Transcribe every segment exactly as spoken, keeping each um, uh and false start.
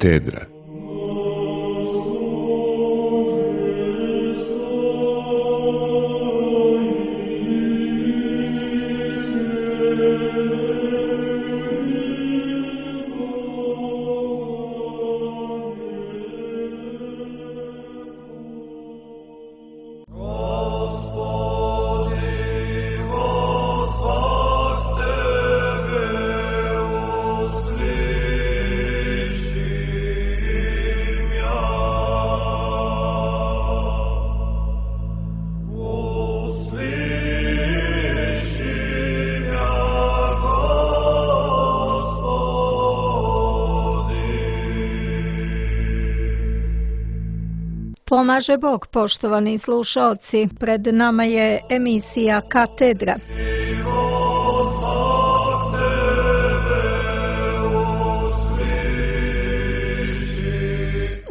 Katedra. Pomaže Bog, poštovani slušaoci, pred nama je emisija Katedra.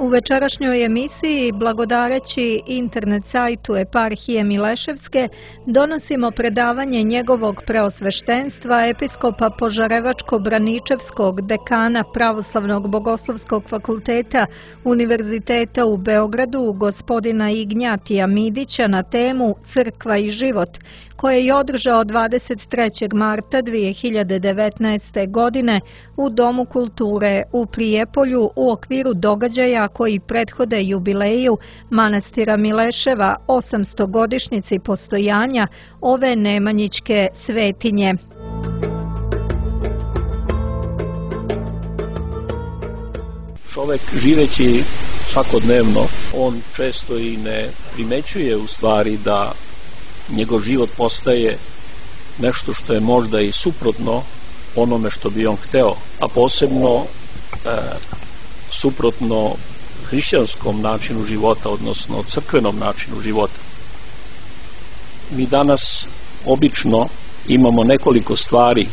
U večerašnjoj emisiji, blagodareći internet sajtu Eparhije Mileševske, donosimo predavanje njegovog preosveštenstva, episkopa Požarevačko-Braničevskog, dekana Pravoslavnog bogoslovskog fakulteta Univerziteta u Beogradu, gospodina Ignjatija Midića, na temu Crkva i život, koje je održao dvadeset trećeg marta dvije hiljade devetnaeste. godine u Domu kulture u Prijepolju u okviru događaja koji prethode jubileju manastira Mileševa osamstogodišnjici postojanja ove nemanjićke svetinje. Čovek živeći svakodnevno, on često i ne primećuje u stvari da njegov život postaje nešto što je možda i suprotno onome što bi on hteo, a posebno e, suprotno hrišćanskom načinu života, odnosno crkvenom načinu života. Mi danas obično imamo nekoliko stvari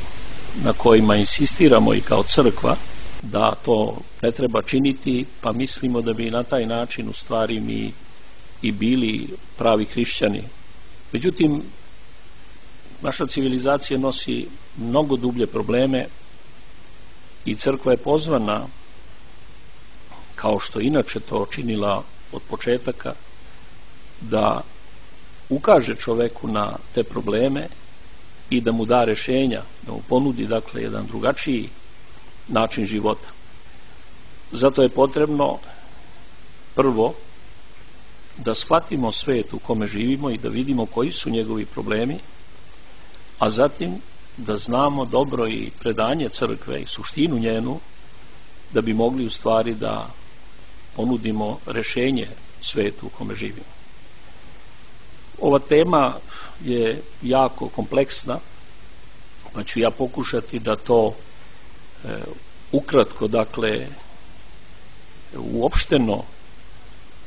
na kojima insistiramo i kao crkva da to ne treba činiti, pa mislimo da bi na taj način u stvari mi i bili pravi hrišćani. Međutim, naša civilizacija nosi mnogo dublje probleme i crkva je pozvana, kao što inače to činila od početaka, da ukaže čoveku na te probleme i da mu da rešenja, da mu ponudi dakle jedan drugačiji način života. Zato je potrebno prvo da shvatimo svet u kome živimo i da vidimo koji su njegovi problemi, a zatim da znamo dobro i predanje crkve i suštinu njenu, da bi mogli u stvari da ponudimo rešenje svetu u kome živimo. Ova tema je jako kompleksna, pa ću ja pokušati da to e, ukratko, dakle, uopšteno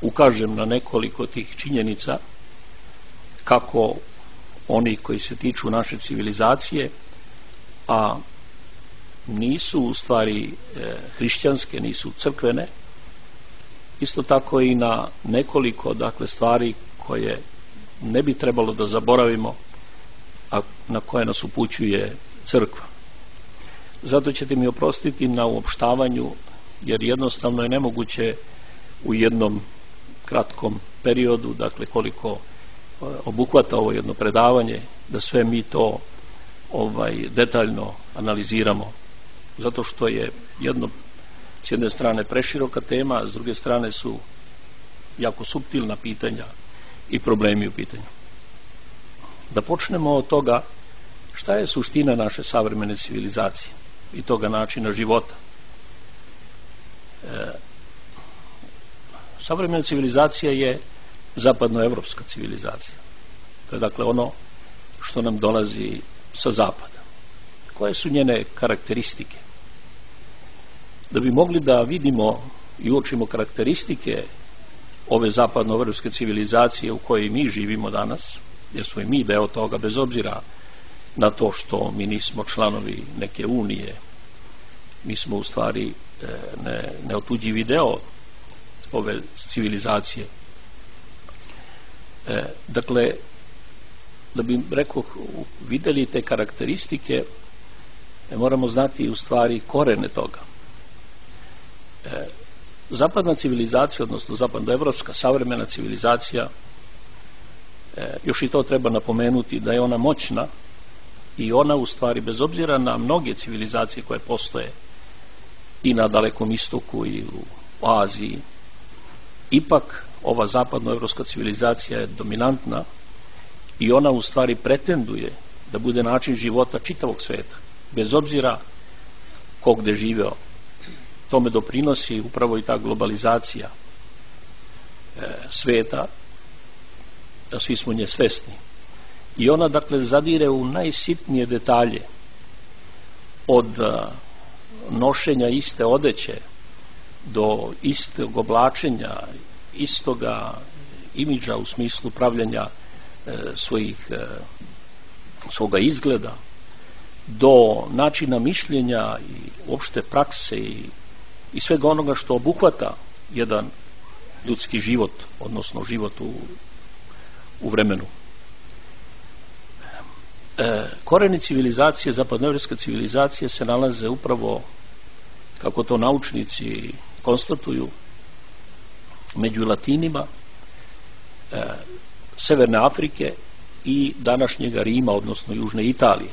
ukažem na nekoliko tih činjenica, kako oni koji se tiču naše civilizacije, a nisu u stvari e, hrišćanske, nisu crkvene, isto tako i na nekoliko dakle stvari koje ne bi trebalo da zaboravimo, a na koje nas upućuje crkva. Zato ćete mi oprostiti na uopštavanju, jer jednostavno je nemoguće u jednom kratkom periodu, dakle koliko obuhvata ovo jedno predavanje, da sve mi to ovaj detaljno analiziramo, zato što je jedno s jedne strane preširoka tema, a s druge strane su jako suptilna pitanja i problemi u pitanju. Da počnemo od toga šta je suština naše savremene civilizacije i toga načina života. E, savremena civilizacija je zapadnoevropska civilizacija. To je dakle ono što nam dolazi sa zapada. Koje su njene karakteristike? Da bi mogli da vidimo i uočimo karakteristike ove zapadnoevropske civilizacije u kojoj mi živimo danas, jer smo i mi deo toga, bez obzira na to što mi nismo članovi neke unije, mi smo u stvari ne, neotuđivi deo ove civilizacije. E, dakle, da bi, rekao, videli te karakteristike, moramo znati u stvari korene toga. E, Zapadna civilizacija, odnosno zapadnoevropska savremena civilizacija, e, još i to treba napomenuti da je ona moćna i ona u stvari, bez obzira na mnoge civilizacije koje postoje i na Dalekom istoku i u Aziji, ipak ova zapadnoevropska civilizacija je dominantna i ona u stvari pretenduje da bude način života čitavog sveta, bez obzira ko gde živeo. Tome doprinosi upravo i ta globalizacija e, sveta, a svi smo nje svesni. I ona, dakle, zadire u najsitnije detalje, od a, nošenja iste odeće do istog oblačenja, istoga imidža u smislu pravljenja e, svojih e, svoga izgleda, do načina mišljenja i uopšte prakse i, i svega onoga što obuhvata jedan ljudski život, odnosno život u, u vremenu. E, koreni civilizacije, zapadnoevropske civilizacije se nalaze upravo, kako to naučnici konstatuju, među Latinima, e, Severne Afrike i današnjega Rima, odnosno Južne Italije.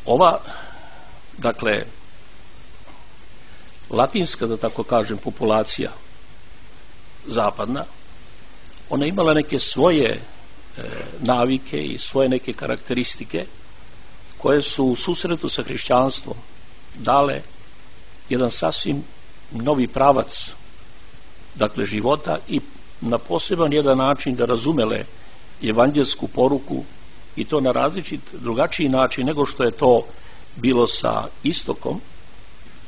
Ova, dakle, latinska, da tako kažem, populacija zapadna, ona imala neke svoje e, navike i svoje neke karakteristike koje su u susretu sa hrišćanstvom dale jedan sasvim novi pravac, dakle, života i na poseban jedan način da razumele evanđelsku poruku, i to na različit, drugačiji način nego što je to bilo sa istokom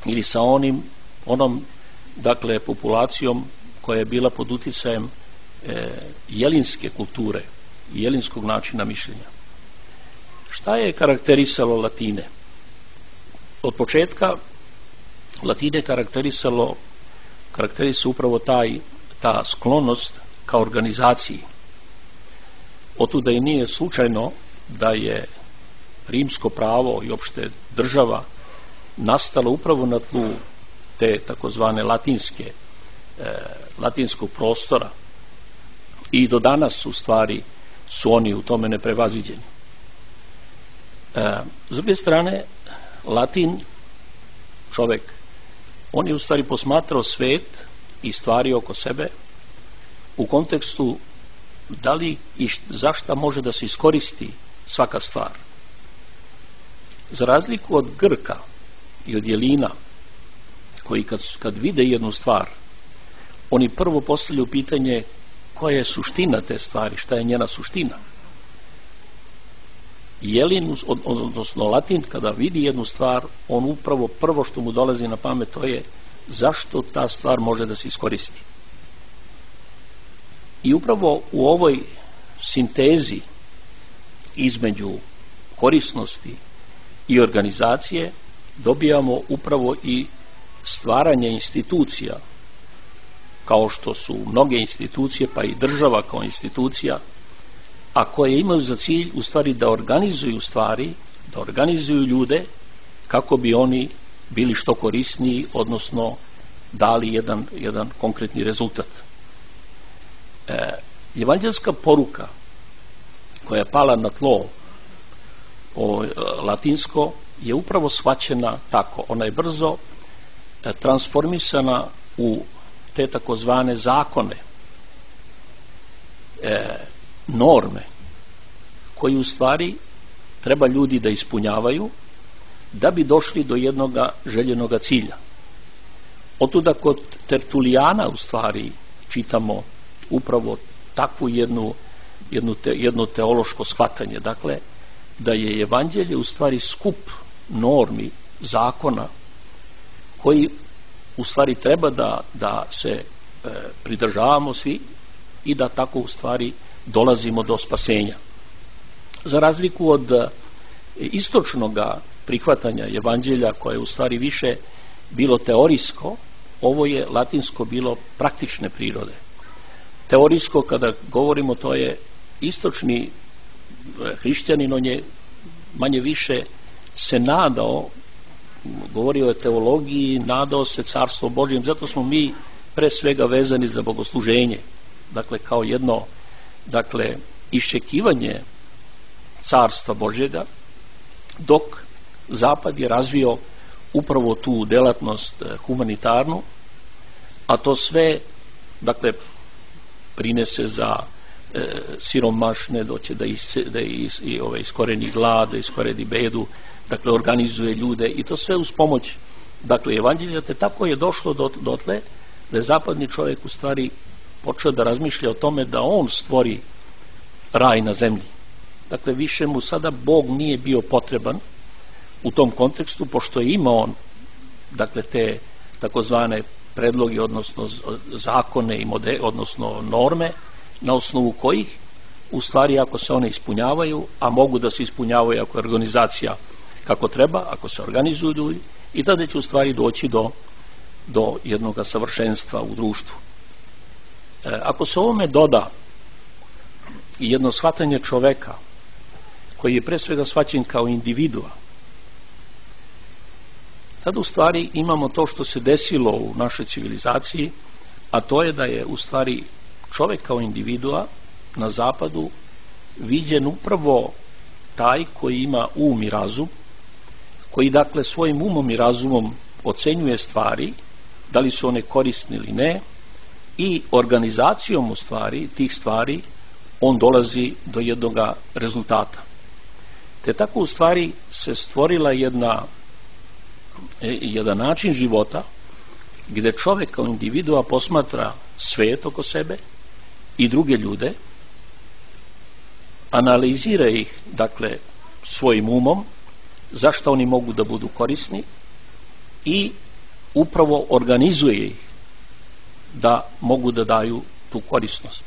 ili sa onim onom, dakle, populacijom koja je bila pod uticajem e, jelinske kulture i jelinskog načina mišljenja. Šta je karakterisalo Latine? Od početka Latine karakterisalo karakterisalo upravo taj ta sklonost ka organizaciji. Otuda i nije slučajno da je rimsko pravo i opšte država nastala upravo na tlu te takozvane latinske e, latinskog prostora i do danas u stvari su oni u tome neprevaziđeni. E, s druge strane, Latin, čovek, on je u stvari posmatrao svet i stvari oko sebe u kontekstu da li i zašta može da se iskoristi svaka stvar. Za razliku od Grka i od Jelina, koji kad, kad vide jednu stvar, oni prvo postavljaju pitanje koja je suština te stvari, šta je njena suština. Jelin, odnosno Latin, kada vidi jednu stvar, on upravo prvo što mu dolazi na pamet to je zašto ta stvar može da se iskoristi. I upravo u ovoj sintezi između korisnosti i organizacije dobijamo upravo i stvaranje institucija, kao što su mnoge institucije, pa i država kao institucija, a koje imaju za cilj u stvari da organizuju stvari, da organizuju ljude kako bi oni bili što korisniji, odnosno dali jedan, jedan konkretni rezultat. E, evanđelska poruka koja je pala na tlo o, latinsko je upravo shvaćena tako. Ona je brzo e, transformisana u te takozvane zakone, e, norme koji u stvari treba ljudi da ispunjavaju da bi došli do jednoga željenoga cilja. Otuda kod Tertulijana u stvari čitamo upravo takvu jednu, jednu te, jedno teološko shvatanje, dakle da je evanđelje u stvari skup normi, zakona koji u stvari treba da, da se e, pridržavamo svi i da tako u stvari dolazimo do spasenja. Za razliku od e, istočnog prihvatanja evanđelja koje je u stvari više bilo teorijsko, ovo je latinsko bilo praktične prirode. Teorijsko, kada govorimo, to je istočni hrišćanin, on je manje više se nadao govorio o teologiji, nadao se carstvo Božjem, zato smo mi pre svega vezani za bogosluženje, dakle kao jedno dakle iščekivanje carstva Božjega, dok Zapad je razvio upravo tu delatnost humanitarnu, a to sve dakle prinese za e, siromašne, doće da, is, da is, i, ove, iskoreni glad, da iskoreni bedu, dakle organizuje ljude i to sve uz pomoć dakle evanđelja, te tako je došlo do, dotle da je zapadni čovjek u stvari počeo da razmišlja o tome da on stvori raj na zemlji. Dakle, više mu sada Bog nije bio potreban u tom kontekstu, pošto je imao on dakle te takozvane predloge, odnosno zakone i model, odnosno norme na osnovu kojih u stvari ako se one ispunjavaju, a mogu da se ispunjavaju ako je organizacija kako treba, ako se organizuju ljudi, i tada će u stvari doći do, do jednog savršenstva u društvu. E, ako se ovome doda i jedno shvatanje čoveka koji je pre svega shvaćen kao individua, tada u stvari imamo to što se desilo u našoj civilizaciji, a to je da je u stvari čovek kao individua na zapadu viđen upravo taj koji ima um i razum, koji dakle svojim umom i razumom ocenjuje stvari, da li su one korisne ili ne, i organizacijom u stvari tih stvari on dolazi do jednog rezultata. Te tako u stvari se stvorila jedna jedan način života gdje čovjek kao individua posmatra svet oko sebe i druge ljude, analizira ih dakle svojim umom, zašto oni mogu da budu korisni, i upravo organizuje ih da mogu da daju tu korisnost.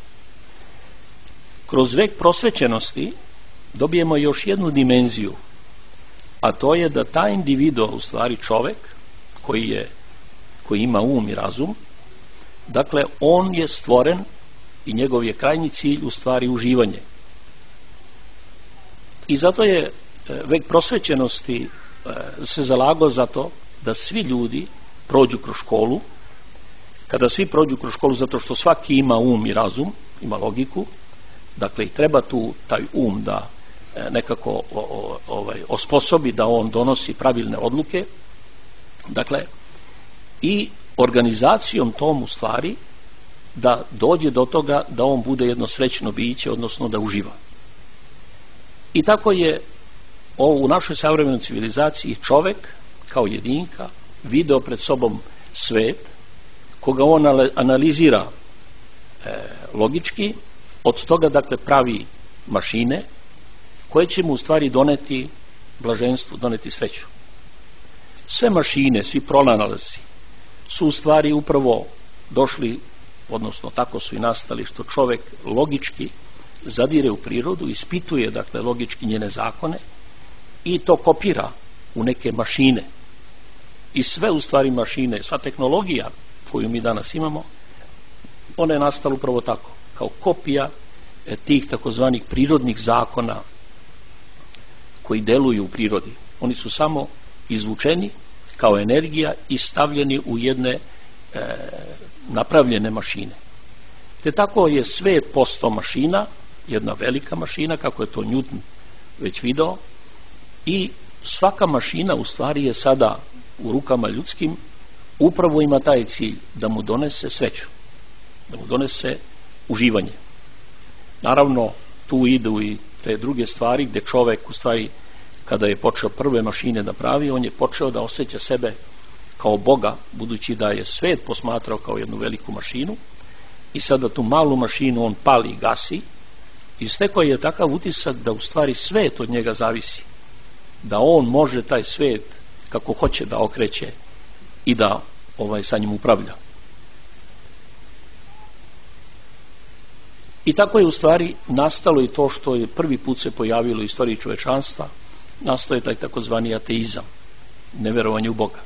Kroz vek prosvećenosti dobijemo još jednu dimenziju, a to je da taj individu, u stvari čovek koji je koji ima um i razum, dakle on je stvoren i njegov je krajnji cilj u stvari uživanje. I zato je vek prosvećenosti se zalagao za to da svi ljudi prođu kroz školu. Kada svi prođu kroz školu, zato što svaki ima um i razum, ima logiku, dakle i treba tu taj um da nekako ovaj, osposobi da on donosi pravilne odluke, dakle i organizacijom tom u stvari da dođe do toga da on bude jedno srećno biće, odnosno da uživa. I tako je u našoj savremenoj civilizaciji čovek kao jedinka video pred sobom svet koga on analizira e, logički, od toga dakle pravi mašine koje će mu u stvari doneti blaženstvo, doneti sreću. Sve mašine, svi pronalazi su u stvari upravo došli, odnosno tako su i nastali, što čovek logički zadire u prirodu, ispituje dakle logički njene zakone i to kopira u neke mašine. I sve u stvari mašine, sva tehnologija koju mi danas imamo, ona je nastala upravo tako, kao kopija tih takozvanih prirodnih zakona koji deluju u prirodi. Oni su samo izvučeni kao energija i stavljeni u jedne e, napravljene mašine. Te tako je svet postao mašina, jedna velika mašina, kako je to Newton već video, i svaka mašina u stvari je sada u rukama ljudskim, upravo ima taj cilj da mu donese sreću, da mu donese uživanje. Naravno, tu idu i te druge stvari gdje čovek u stvari kada je počeo prve mašine da pravi, on je počeo da osjeća sebe kao Boga, budući da je svet posmatrao kao jednu veliku mašinu, i sada tu malu mašinu on pali i gasi, i stekao je takav utisak da u stvari svet od njega zavisi, da on može taj svet kako hoće da okreće i da ovaj sa njim upravlja. I tako je u stvari nastalo i to što je prvi put se pojavilo u istoriji čovečanstva, nastao je taj takozvani ateizam, neverovanje u Boga.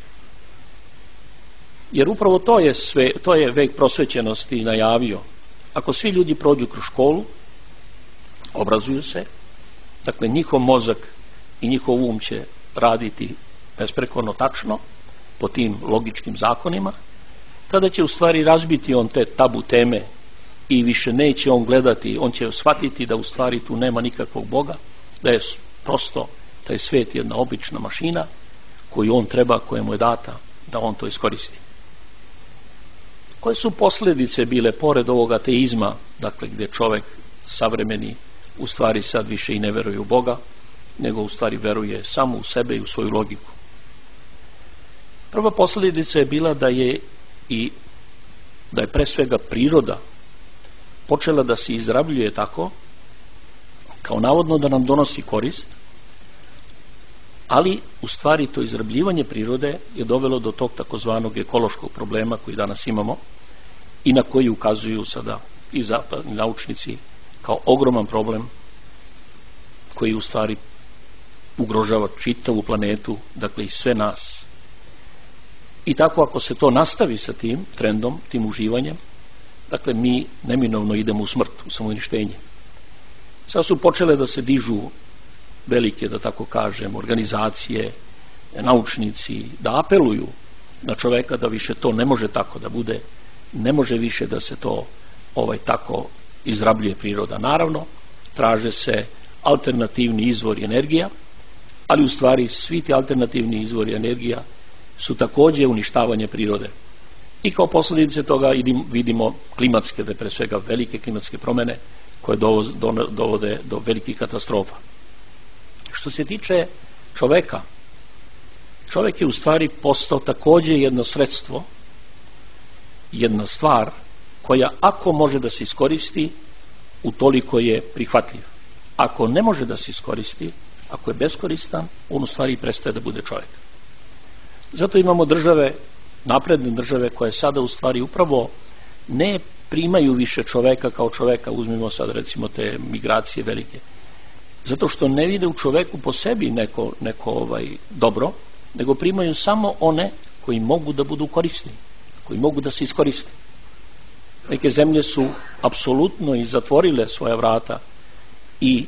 Jer upravo to je sve, to je vek prosvećenosti najavio. Ako svi ljudi prođu kroz školu, obrazuju se, dakle njihov mozak i njihov um će raditi besprekorno tačno, po tim logičkim zakonima, tada će u stvari razbiti on te tabu teme i više neće on gledati, on će shvatiti da u stvari tu nema nikakvog Boga, da je prosto taj svijet jedna obična mašina koju on treba, koja mu je data da on to iskoristi. Koje su posljedice bile pored ovog ateizma, dakle gdje čovjek savremeni u stvari sad više i ne veruje u Boga, nego u stvari veruje samo u sebe i u svoju logiku? Prva posljedica je bila da je i da je pre svega priroda počela da se izrabljuje tako, kao navodno da nam donosi korist, ali u stvari to izrabljivanje prirode je dovelo do tog takozvanog ekološkog problema koji danas imamo i na koji ukazuju sada i zapadni naučnici kao ogroman problem koji u stvari ugrožava čitavu planetu, dakle i sve nas. I tako ako se to nastavi sa tim trendom, tim uživanjem, dakle mi neminovno idemo u smrt, u samouništenje. Sad su počele da se dižu velike, da tako kažem, organizacije, naučnici, da apeluju na čoveka da više to ne može tako da bude, ne može više da se to ovaj tako izrabljuje priroda. Naravno, traže se alternativni izvori energija, ali u stvari svi ti alternativni izvori energija su također uništavanje prirode. I kao posljedice toga vidimo klimatske, da pre svega velike klimatske promjene koje dovode do velikih katastrofa. Što se tiče čoveka, čovjek je u stvari postao također jedno sredstvo, jedna stvar koja ako može da se iskoristi, utoliko je prihvatljiv. Ako ne može da se iskoristi, ako je beskoristan, on u stvari prestaje da bude čovjek. Zato imamo države, napredne države, koje sada u stvari upravo ne primaju više čoveka kao čoveka, uzmimo sad recimo te migracije velike, zato što ne vide u čoveku po sebi neko, neko ovaj, dobro, nego primaju samo one koji mogu da budu korisni, koji mogu da se iskoriste. Neke zemlje su apsolutno i zatvorile svoja vrata i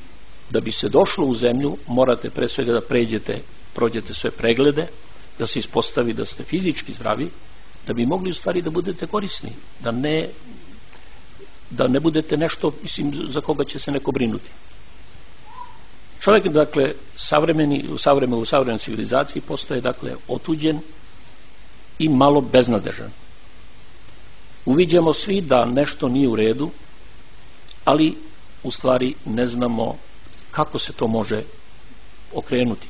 da bi se došlo u zemlju morate pre svega da pređete, prođete sve preglede, da se ispostavi da ste fizički zdravi, da bi mogli u stvari da budete korisni, da ne, da ne budete nešto, mislim, za koga će se neko brinuti. Čovjek, dakle, savremeni, u, savremeni, u savremenoj civilizaciji postaje, dakle, otuđen i malo beznadežan. Uviđamo svi da nešto nije u redu, ali u stvari ne znamo kako se to može okrenuti,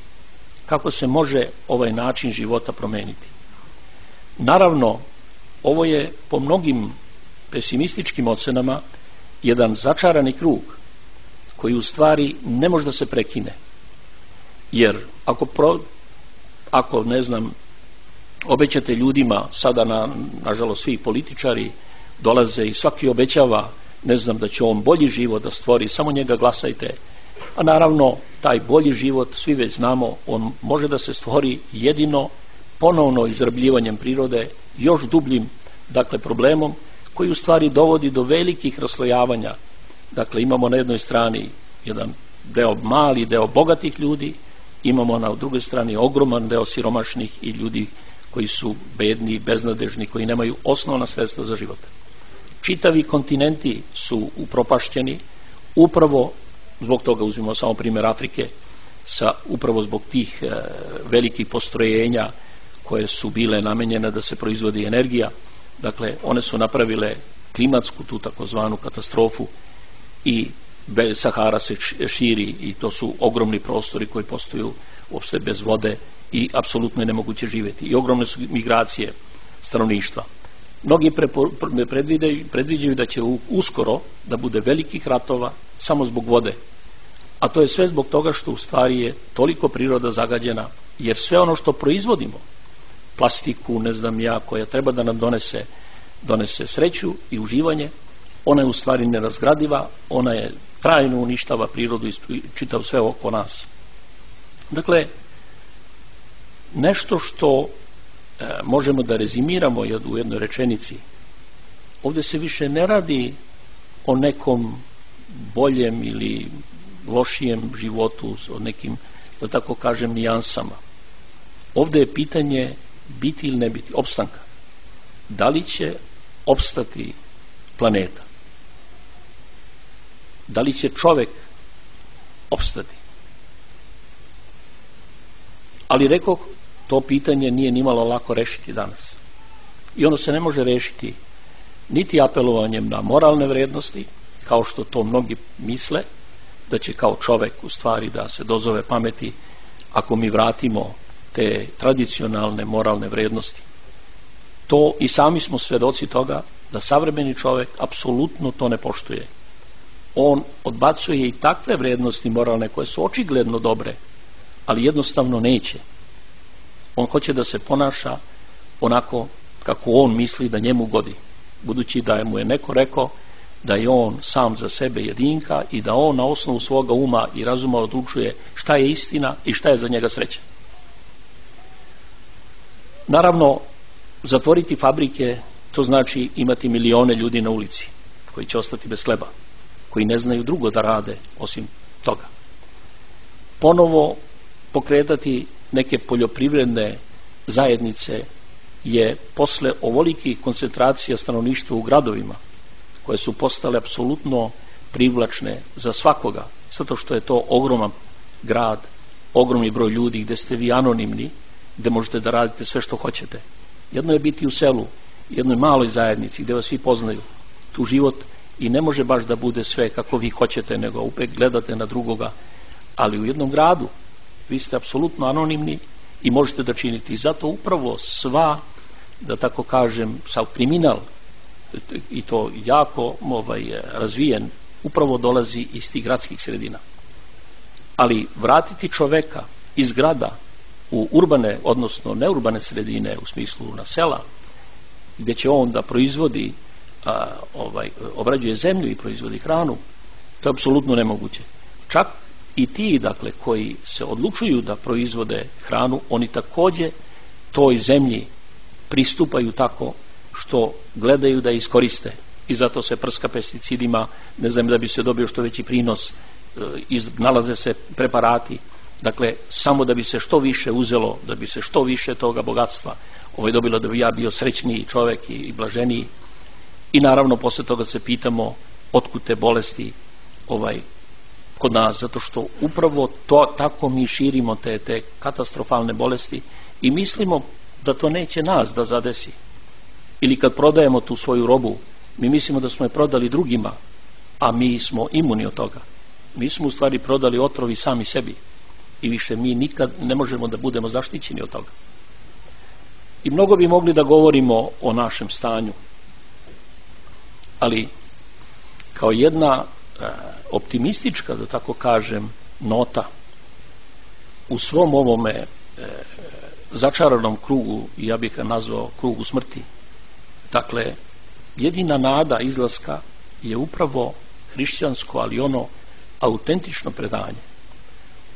kako se može ovaj način života promeniti. Naravno, ovo je po mnogim pesimističkim ocenama jedan začarani krug koji u stvari ne može da se prekine. Jer ako, pro, ako ne znam, obećate ljudima, sada na, nažalost svi političari dolaze i svaki obećava, ne znam, da će on bolji život da stvori, samo njega glasajte. A naravno, taj bolji život, svi već znamo, on može da se stvori jedino ponovno izrabljivanjem prirode, još dubljim, dakle, problemom, koji u stvari dovodi do velikih raslojavanja. Dakle, imamo na jednoj strani jedan deo, mali deo bogatih ljudi, imamo na drugoj strani ogroman deo siromašnih i ljudi koji su bedni, beznadežni, koji nemaju osnovna sredstva za život. Čitavi kontinenti su upropašćeni, upravo zbog toga, uzmimo samo primjer Afrike, sa, upravo zbog tih e, velikih postrojenja koje su bile namenjene da se proizvodi energija. Dakle, one su napravile klimatsku, tu takozvanu katastrofu, i Sahara se širi i to su ogromni prostori koji postaju uopšte bez vode i apsolutno je nemoguće živjeti. I ogromne su migracije stanovništva. Mnogi predviđaju da će uskoro da bude velikih ratova samo zbog vode. A to je sve zbog toga što u stvari je toliko priroda zagađena, jer sve ono što proizvodimo, plastiku, ne znam ja, koja treba da nam donese, donese sreću i uživanje, ona je u stvari nerazgradiva, ona je trajno uništava prirodu i čitav sve oko nas. Dakle, nešto što e, možemo da rezimiramo u jednoj rečenici, ovdje se više ne radi o nekom boljem ili lošijem životu, o nekim, da tako kažem, nijansama. ovdje je pitanje biti ili ne biti, opstanka. Da li će opstati planeta? Da li će čovjek opstati? Ali rekoh, to pitanje nije nimalo lako rešiti danas. I ono se ne može rešiti niti apelovanjem na moralne vrednosti, kao što to mnogi misle, da će kao čovjek u stvari da se dozove pameti ako mi vratimo te tradicionalne moralne vrednosti. To i sami smo svedoci toga da savremeni čovjek apsolutno to ne poštuje. On odbacuje i takve vrednosti moralne koje su očigledno dobre, ali jednostavno neće. On hoće da se ponaša onako kako on misli da njemu godi, budući da mu je neko rekao da je on sam za sebe jedinka i da on na osnovu svoga uma i razuma odlučuje šta je istina i šta je za njega sreća. Naravno, zatvoriti fabrike, to znači imati milione ljudi na ulici koji će ostati bez hleba, koji ne znaju drugo da rade osim toga. Ponovo pokretati neke poljoprivredne zajednice je posle ovolikih koncentracija stanovništva u gradovima, koje su postale apsolutno privlačne za svakoga, zato što je to ogroman grad, ogromni broj ljudi gdje ste vi anonimni, gdje možete da radite sve što hoćete. Jedno je biti u selu, jednoj maloj zajednici gdje vas svi poznaju. Tu život i ne može baš da bude sve kako vi hoćete, nego uvijek gledate na drugoga, ali u jednom gradu vi ste apsolutno anonimni i možete da činiti. I zato upravo sva, da tako kažem, sav kriminal, i to jako ovaj, razvijen, upravo dolazi iz tih gradskih sredina. Ali vratiti čoveka iz grada u urbane, odnosno neurbane sredine, u smislu na sela, gdje će on da proizvodi, a, ovaj, obrađuje zemlju i proizvodi hranu, to je apsolutno nemoguće. Čak i ti, dakle, koji se odlučuju da proizvode hranu, oni također toj zemlji pristupaju tako što gledaju da iskoriste, i zato se prska pesticidima, ne znam, da bi se dobio što veći prinos, nalaze se preparati, dakle, samo da bi se što više uzelo, da bi se što više toga bogatstva ovaj dobilo, da bi ja bio srećniji čovjek i, i blaženiji. I naravno posle toga se pitamo otkud te bolesti ovaj kod nas, zato što upravo to, tako mi širimo te, te katastrofalne bolesti i mislimo da to neće nas da zadesi. Ili kad prodajemo tu svoju robu, mi mislimo da smo je prodali drugima, a mi smo imuni od toga. Mi smo u stvari prodali otrovi sami sebi i više mi nikad ne možemo da budemo zaštićeni od toga. I mnogo bi mogli da govorimo o našem stanju, ali kao jedna e, optimistička, da tako kažem, nota u svom ovome e, začaranom krugu, ja bih ga nazvao krugu smrti, dakle, jedina nada izlaska je upravo hrišćansko, ali ono autentično predanje,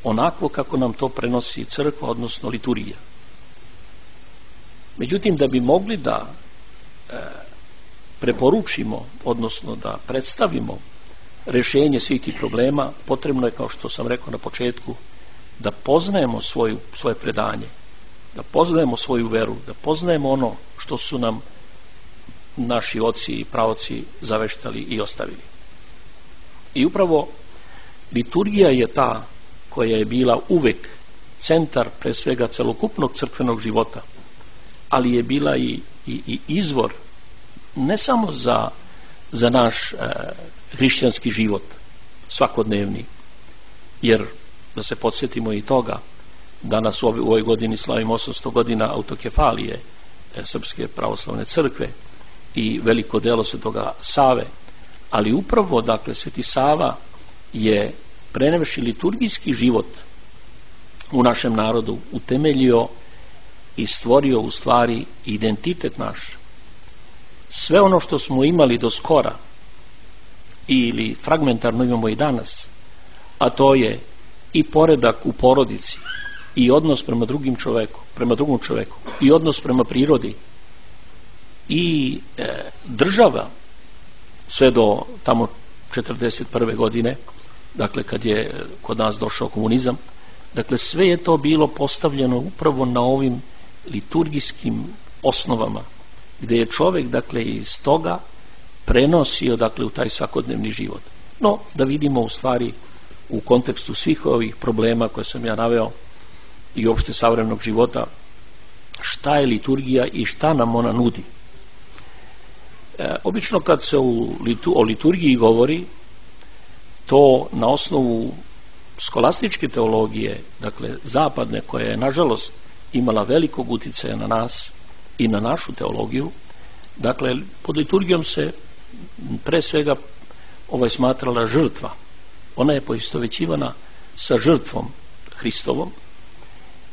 onako kako nam to prenosi crkva, odnosno liturgija. Međutim, da bi mogli da e, preporučimo, odnosno da predstavimo rešenje svih tih problema, potrebno je, kao što sam rekao na početku, da poznajemo svoju, svoje predanje, da poznajemo svoju veru, da poznajemo ono što su nam naši oci i praoci zaveštali i ostavili. I upravo liturgija je ta koja je bila uvek centar pre svega celokupnog crkvenog života, ali je bila i, i, i izvor ne samo za, za naš e, hrišćanski život svakodnevni, jer da se podsjetimo i toga, danas u ovoj godini slavimo osamsto godina autokefalije e, Srpske pravoslavne crkve i veliko delo Svetoga Save, ali upravo, dakle, Sveti Sava je prenevši liturgijski život u našem narodu utemeljio i stvorio u stvari identitet naš. Sve ono što smo imali do skora ili fragmentarno imamo i danas, a to je i poredak u porodici, i odnos prema drugim čoveku, prema drugom čoveku, i odnos prema prirodi, i e, država, sve do tamo četrdeset prve godine, dakle kad je kod nas došao komunizam, Dakle, sve je to bilo postavljeno upravo na ovim liturgijskim osnovama, gdje je čovjek, dakle, iz toga prenosio, dakle, u taj svakodnevni život. No, da vidimo u stvari u kontekstu svih ovih problema koje sam ja naveo i opšte savremenog života, šta je liturgija i šta nam ona nudi. E, obično kad se u litu, o liturgiji govori, to na osnovu skolastičke teologije, dakle zapadne, koja je nažalost imala velikog uticaja na nas i na našu teologiju, dakle pod liturgijom se pre svega ovaj smatrala žrtva. Ona je poistovećivana sa žrtvom Hristovom,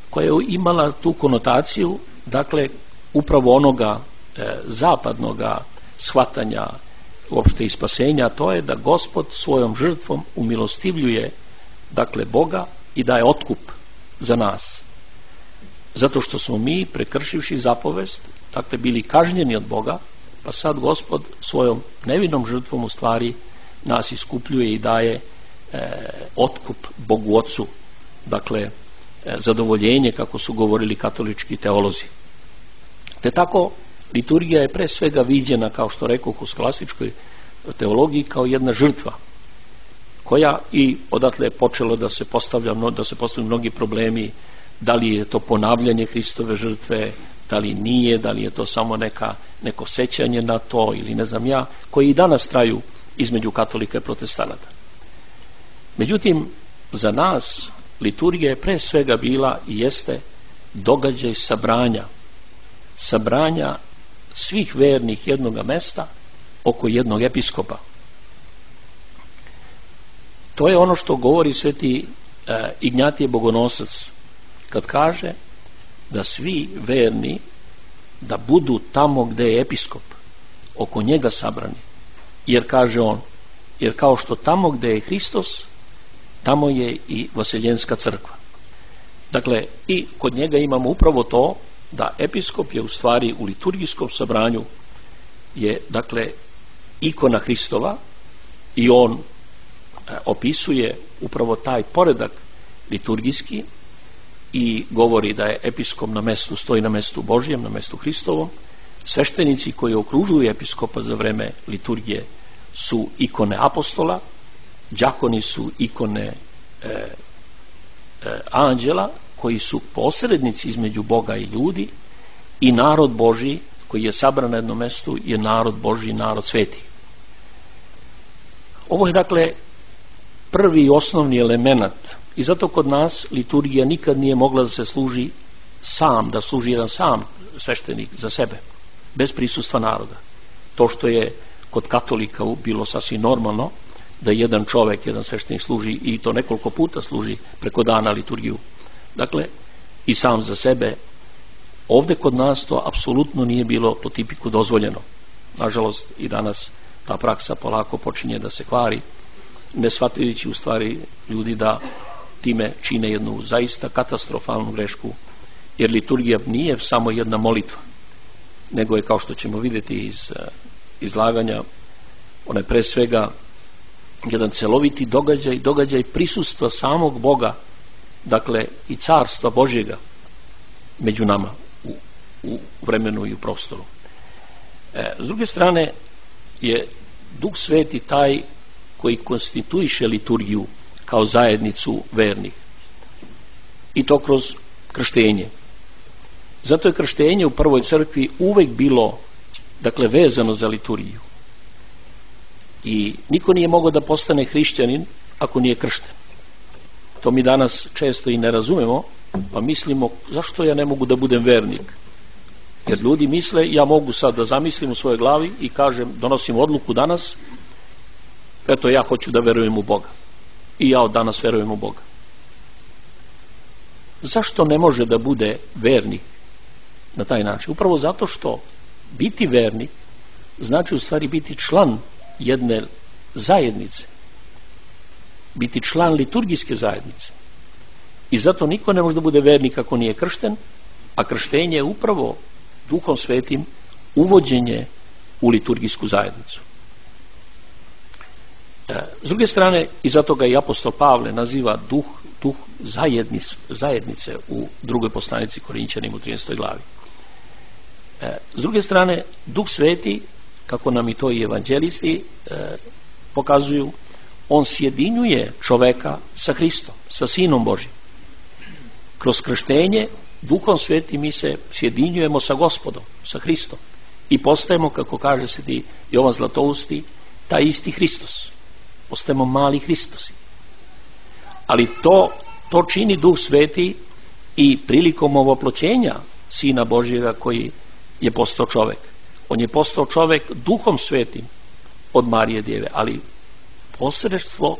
koja je imala tu konotaciju, dakle upravo onoga e, zapadnoga shvatanja uopšte i spasenja, to je da Gospod svojom žrtvom umilostivljuje, dakle, Boga i daje otkup za nas. Zato što smo mi, prekršivši zapovest, dakle, bili kažnjeni od Boga, pa sad Gospod svojom nevinom žrtvom u stvari nas iskupljuje i daje e, otkup Bogu Otcu, dakle, e, zadovoljenje, kako su govorili katolički teolozi. Te tako, liturgija je pre svega viđena, kao što rekoh, u klasičkoj teologiji kao jedna žrtva, koja i odatle je počelo da se postavlja, da se postavljaju mnogi problemi, da li je to ponavljanje Hristove žrtve, da li nije, da li je to samo neka, neko sećanje na to ili ne znam ja, koji i danas traju između katolika i protestanata. Međutim, za nas liturgija je pre svega bila i jeste događaj sabranja, sabranja svih vernih jednoga mesta oko jednog episkopa. To je ono što govori sveti e, Ignjatije Bogonosac kad kaže da svi verni da budu tamo gde je episkop, oko njega sabrani, jer kaže on, jer kao što tamo gde je Hristos, tamo je i Vaseljenska crkva. Dakle, i kod njega imamo upravo to da episkop je u stvari u liturgijskom sabranju je, dakle, ikona Hristova i on e, opisuje upravo taj poredak liturgijski i govori da je episkop na mestu, stoji na mestu Božjem, na mestu Hristovom. Sveštenici koji okružuju episkopa za vreme liturgije su ikone apostola, đakoni su ikone e, e, anđela, koji su posrednici između Boga i ljudi, i narod Božji koji je sabran na jednom mestu je narod Božji, narod sveti. Ovo je, dakle, prvi i osnovni element i zato kod nas liturgija nikad nije mogla da se služi sam, da služi jedan sam sveštenik za sebe, bez prisustva naroda. To što je kod katolika bilo sasvim normalno da jedan čovek, jedan sveštenik služi i to nekoliko puta služi preko dana liturgiju, dakle, i sam za sebe. Ovde kod nas to apsolutno nije bilo po tipiku dozvoljeno. Nažalost, i danas ta praksa polako počinje da se kvari, ne shvatajući u stvari ljudi da time čine jednu zaista katastrofalnu grešku, jer liturgija nije samo jedna molitva, nego je, kao što ćemo vidjeti iz izlaganja, ona je pre svega jedan celoviti događaj, događaj prisustva samog Boga, dakle i carstva Božjega među nama u, u vremenu i u prostoru. E, s druge strane je Duh Sveti taj koji konstituiše liturgiju kao zajednicu vernih, i to kroz krštenje. Zato je krštenje u prvoj crkvi uvek bilo, dakle, vezano za liturgiju i niko nije mogao da postane hrišćanin ako nije kršten. To mi danas često i ne razumemo, pa mislimo, zašto ja ne mogu da budem vernik? Jer ljudi misle, ja mogu sad da zamislim u svojoj glavi i kažem, donosim odluku danas, eto, ja hoću da verujem u Boga i ja od danas verujem u Boga. Zašto ne može da bude vernik na taj način? Upravo zato što biti vernik znači u stvari biti član jedne zajednice, biti član liturgijske zajednice, i zato niko ne može da bude vernik ako nije kršten, a krštenje je upravo Duhom Svetim uvođenje u liturgijsku zajednicu. S druge strane, i zato ga i apostol Pavle naziva duh duh zajednice, zajednice u drugoj poslanici Korinćanima u trinaestoj glavi. E, s druge strane, Duh Sveti, kako nam i to i evanđelisti e, pokazuju, on sjedinjuje čoveka sa Hristom, sa Sinom Božim. Kroz krštenje Duhom Svetim mi se sjedinjujemo sa Gospodom, sa Hristom i postajemo, kako kaže sveti Jovan Zlatousti, taj isti Hristos. Postajemo mali Hristosi. Ali to, to čini Duh Sveti i prilikom ovoploćenja Sina Božjega koji je postao čovek. On je postao čovek Duhom Svetim od Marije Djeve, ali posredstvo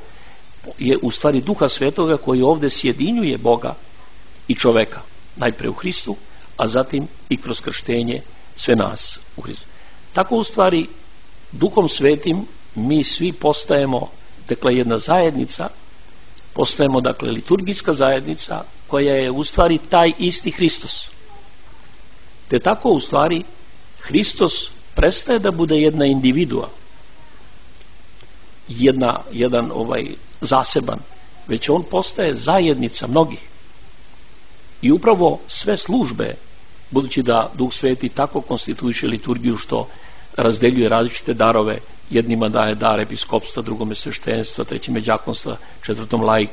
je u stvari Duha Svetoga koji ovde sjedinjuje Boga i čoveka. Najpre u Hristu, a zatim i kroz krštenje sve nas u Hristu. Tako u stvari Duhom Svetim mi svi postajemo, dakle, jedna zajednica, postajemo, dakle, liturgijska zajednica koja je u stvari taj isti Hristos. Te tako u stvari Hristos prestaje da bude jedna individua, jedna, jedan ovaj zaseban, već on postaje zajednica mnogih. I upravo sve službe, budući da Duh Sveti tako konstituiše liturgiju što razdeljuje različite darove, jednima daje dar episkopstva, drugome sveštenstva, trećime đakonstva, četvrtom laik,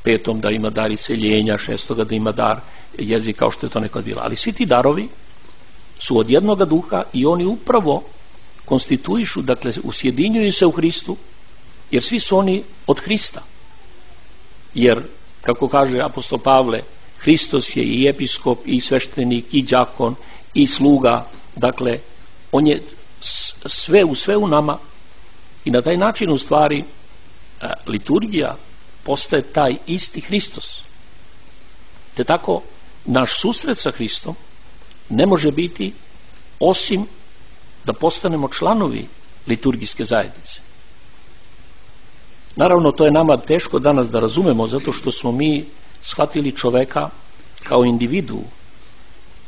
petom da ima dar iseljenja, šestoga da ima dar jezika, kao što je to nekad bilo. Ali svi ti darovi su od jednoga duha i oni upravo konstituišu, dakle, usjedinjuju se u Hristu, jer svi su oni od Hrista. Jer, kako kaže apostol Pavle, Hristos je i episkop, i sveštenik, i đakon, i sluga, dakle, on je sve u sve u nama i na taj način u stvari liturgija postaje taj isti Hristos. Te tako naš susret sa Hristom ne može biti osim da postanemo članovi liturgijske zajednice. Naravno, to je nama teško danas da razumemo, zato što smo mi shvatili čoveka kao individu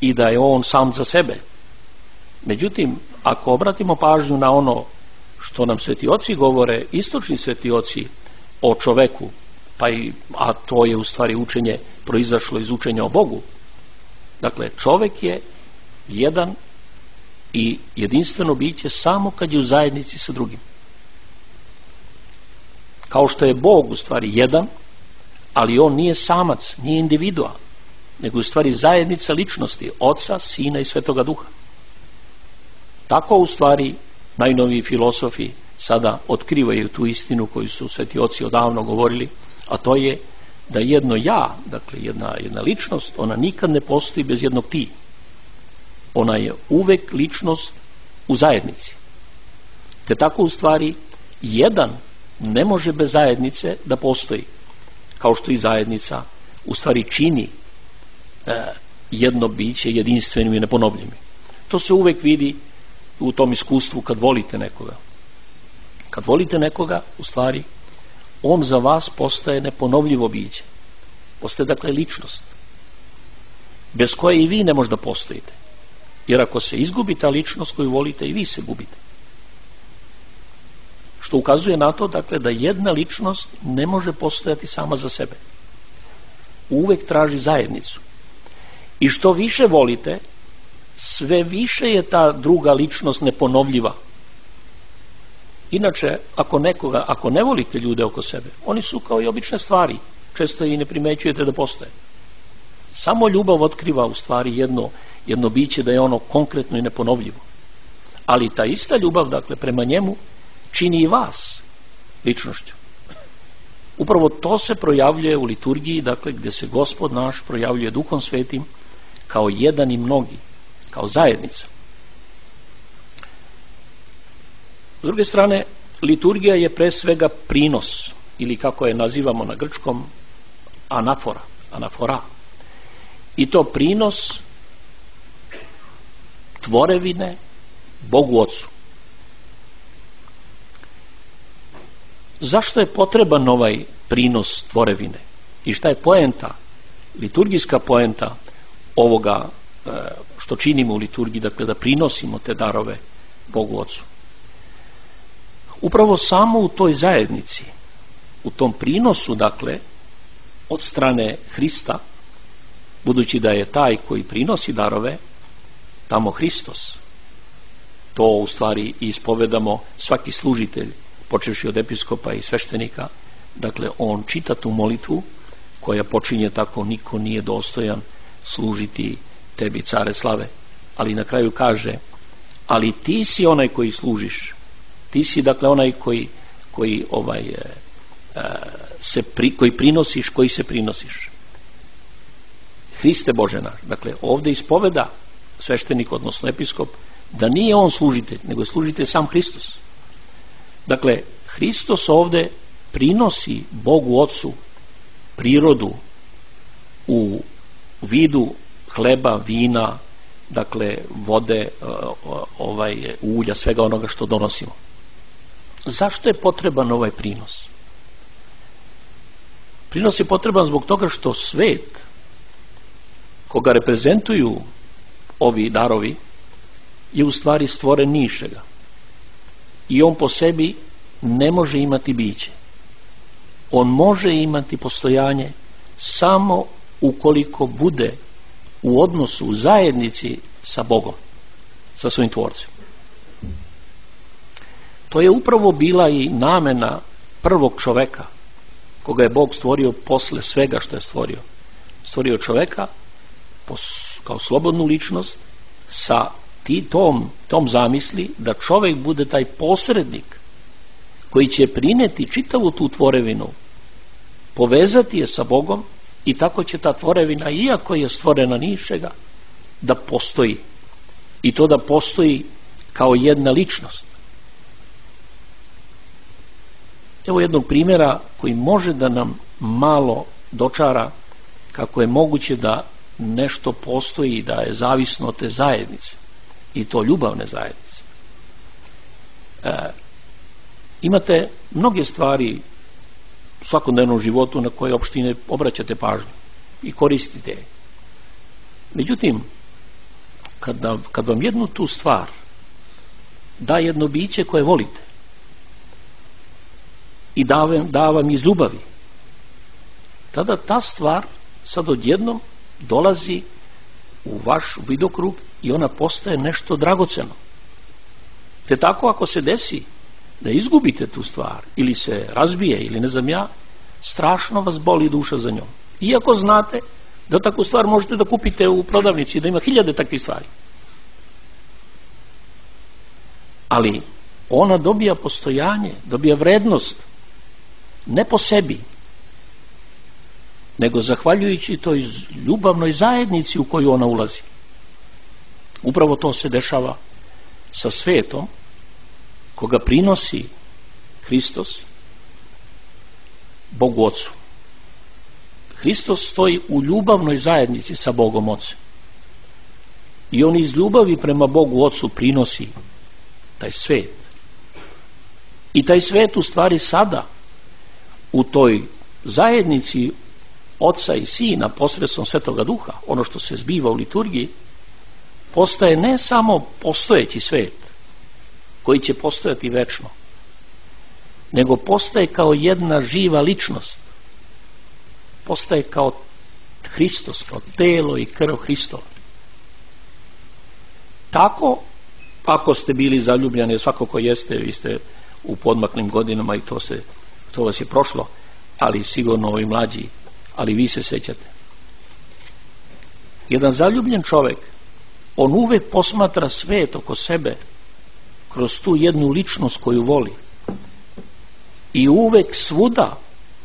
i da je on sam za sebe. Međutim, ako obratimo pažnju na ono što nam sveti oci govore, istočni sveti oci o čoveku, pa i, a to je u stvari učenje proizašlo iz učenja o Bogu. Dakle, čovek je jedan i jedinstveno biće samo kad je u zajednici sa drugim. Kao što je Bog u stvari jedan, ali on nije samac, nije individua, nego u stvari zajednica ličnosti Oca, Sina i Svetoga Duha. Tako u stvari najnoviji filosofi sada otkrivaju tu istinu koju su sveti oci odavno govorili, a to je da jedno ja, dakle jedna, jedna ličnost, ona nikad ne postoji bez jednog ti. Ona je uvek ličnost u zajednici. Te tako u stvari jedan ne može bez zajednice da postoji, kao što i zajednica u stvari čini e, jedno biće jedinstvenim i neponovljivim. To se uvek vidi u tom iskustvu kad volite nekoga. Kad volite nekoga, u stvari, on za vas postaje neponovljivo biće. Postaje, dakle, ličnost, bez koje i vi ne možda postojite. Jer ako se izgubi ta ličnost koju volite, i vi se gubite. Što ukazuje na to, dakle, da jedna ličnost ne može postojati sama za sebe. Uvek traži zajednicu. I što više volite, sve više je ta druga ličnost neponovljiva. Inače, ako nekoga, ako ne volite ljude oko sebe, oni su kao i obične stvari, često i ne primećujete da postoje. Samo ljubav otkriva u stvari jedno, jedno biće da je ono konkretno i neponovljivo. Ali ta ista ljubav, dakle, prema njemu čini i vas ličnošću. Upravo to se projavljuje u liturgiji, dakle, gde se Gospod naš projavljuje Duhom Svetim kao jedan i mnogi, kao zajednica. S druge strane, liturgija je pre svega prinos, ili kako je nazivamo na grčkom, anafora, anafora. I to prinos tvorevine Bogu Ocu. Zašto je potreban ovaj prinos tvorevine? I šta je poenta, liturgijska poenta ovoga što činimo u liturgiji, dakle da prinosimo te darove Bogu Ocu? Upravo samo u toj zajednici, u tom prinosu, dakle, od strane Hrista, budući da je taj koji prinosi darove tamo Hristos. To u stvari ispovedamo svaki služitelj, počevši od episkopa i sveštenika. Dakle, on čita tu molitvu koja počinje tako: niko nije dostojan služiti tebi, care slave. Ali na kraju kaže: ali ti si onaj koji služiš. Ti si dakle onaj koji koji ovaj e, se pri, koji prinosiš, koji se prinosiš. Hriste Bože naš. Dakle, ovdje ispoveda sveštenik, odnosno episkop, da nije on služitelj, nego je služitelj sam Hristos. Dakle, Hristos ovdje prinosi Bogu Ocu prirodu u vidu hleba, vina, dakle vode, ovaj ulja, svega onoga što donosimo. Zašto je potreban ovaj prinos? Prinos je potreban zbog toga što svet koga reprezentuju ovi darovi je u stvari stvoren nišega i on po sebi ne može imati biće. On može imati postojanje samo ukoliko bude u odnosu, u zajednici sa Bogom, sa svojim tvorcem. To je upravo bila i namena prvog čoveka koga je Bog stvorio posle svega što je stvorio. Stvorio čoveka kao slobodnu ličnost sa tom, tom zamisli da čovek bude taj posrednik koji će prineti čitavu tu tvorevinu, povezati je sa Bogom i tako će ta tvorevina, iako je stvorena ničega, da postoji. I to da postoji kao jedna ličnost. Evo jednog primjera koji može da nam malo dočara kako je moguće da nešto postoji i da je zavisno od te zajednice, i to ljubavne zajednice. E, imate mnoge stvari u svakodnevnom životu na koje uopšte ne obraćate pažnju i koristite je. Međutim, kad, kad vam jednu tu stvar da jedno biće koje volite i da vam, da vam iz ljubavi, tada ta stvar sad odjednom dolazi u vaš vidokrug i ona postaje nešto dragoceno. Te tako ako se desi da izgubite tu stvar ili se razbije ili ne znam ja, strašno vas boli duša za njom. Iako znate da takvu stvar možete da kupite u prodavnici, da ima hiljade takvih stvari. Ali ona dobija postojanje, dobija vrednost ne po sebi, nego zahvaljujući toj ljubavnoj zajednici u koju ona ulazi. Upravo to se dešava sa svetom koga prinosi Hristos Bogu Ocu. Hristos stoji u ljubavnoj zajednici sa Bogom Ocem i on iz ljubavi prema Bogu Ocu prinosi taj svet. I taj svet u stvari sada u toj zajednici Oca i Sina posredstvom Svetoga Duha, ono što se zbiva u liturgiji, postaje ne samo postojeći svet koji će postojati večno, nego postaje kao jedna živa ličnost, postaje kao Hristos, kao telo i krv Hristova. Tako, ako ste bili zaljubljeni, svako ko jeste, vi ste u podmaklim godinama i to, se, to vas je prošlo, ali sigurno ovi mlađi, ali vi se sećate. Jedan zaljubljen čovek, on uvek posmatra svet oko sebe kroz tu jednu ličnost koju voli i uvek svuda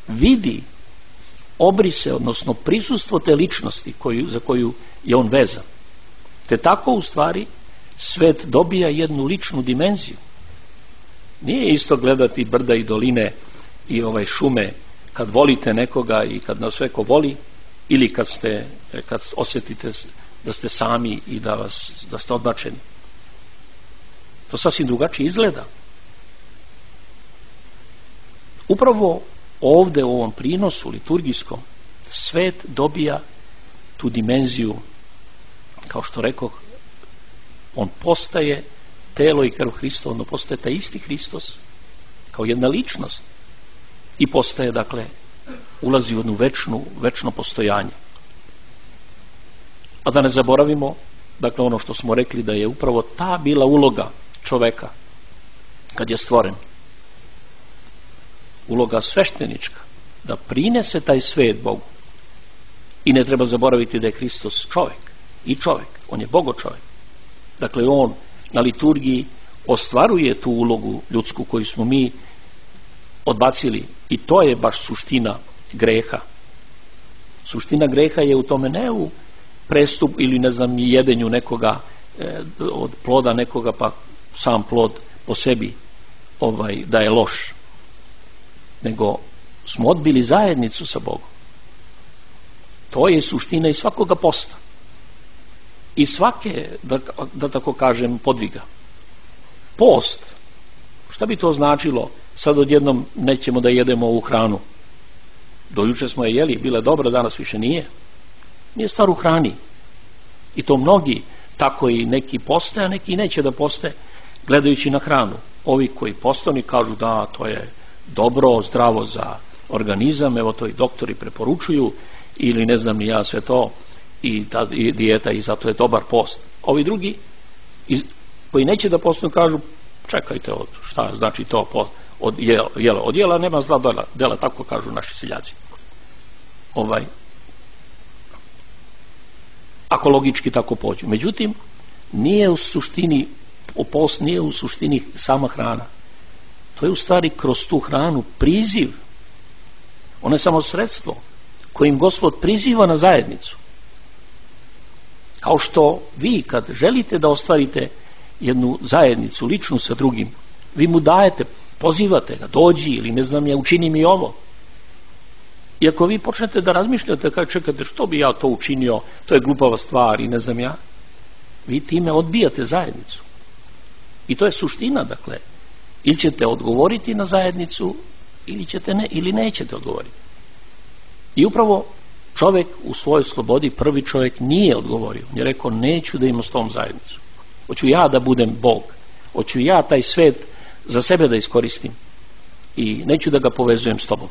vidi obrise, odnosno prisustvo te ličnosti koju, za koju je on vezan. Te tako u stvari svet dobija jednu ličnu dimenziju. Nije isto gledati brda i doline i ovaj šume kad volite nekoga i kad nas sveko voli, ili kad ste kad osjetite da ste sami i da vas da ste odbačeni. To sasvim drugačije izgleda. Upravo ovde u ovom prinosu liturgijskom svet dobija tu dimenziju, kao što rekoh, on postaje telo i krv Hristova, on postaje taj isti Hristos kao jedna ličnost i postaje dakle ulazi u jednu večnu, večno postojanje. A da ne zaboravimo, dakle, ono što smo rekli, da je upravo ta bila uloga čoveka kad je stvoren, uloga sveštenička, da prinese taj svet Bogu. I ne treba zaboraviti da je Hristos čovek i čovek, on je Bogo čovek. Dakle, on na liturgiji ostvaruje tu ulogu ljudsku koju smo mi odbacili, i to je baš suština greha. Suština greha je u tome, ne u prestup ili ne znam jedenju nekoga e, od ploda nekoga, pa sam plod po sebi ovaj, da je loš, nego smo odbili zajednicu sa Bogom. To je suština i svakoga posta i svake, da, da tako kažem, podviga. Post, šta bi to značilo? Sad odjednom nećemo da jedemo ovu hranu. Do juče smo je jeli, bila dobra, danas više nije. Nije stvar u hrani. I to mnogi, tako i neki poste, a neki neće da poste, gledajući na hranu. Ovi koji postani kažu da to je dobro, zdravo za organizam, evo to i doktori preporučuju, ili ne znam ni ja sve to, i ta i dijeta, i zato je dobar post. Ovi drugi iz, koji neće da postanu kažu, čekajte, od, šta znači to post, od jela, jela, od jela nema zla dela, dela, tako kažu naši seljaci. Ovaj, ako logički tako pođu. Međutim, nije u suštini, post nije u suštini sama hrana. To je u stvari kroz tu hranu priziv. Ono je samo sredstvo kojim Gospod priziva na zajednicu. Kao što vi kad želite da ostvarite jednu zajednicu ličnu sa drugim, vi mu dajete, pozivate ga, dođi, ili ne znam ja, učini mi ovo. I ako vi počnete da razmišljate, kada čekate, što bi ja to učinio, to je glupava stvar i ne znam ja, vi time odbijate zajednicu. I to je suština, dakle, ili ćete odgovoriti na zajednicu, ili ćete ne, ili nećete odgovoriti. I upravo čovjek u svojoj slobodi, prvi čovjek nije odgovorio. On je rekao, neću da imam s tom zajednicu. Hoću ja da budem Bog. Hoću ja taj svet za sebe da iskoristim. I neću da ga povezujem s tobom.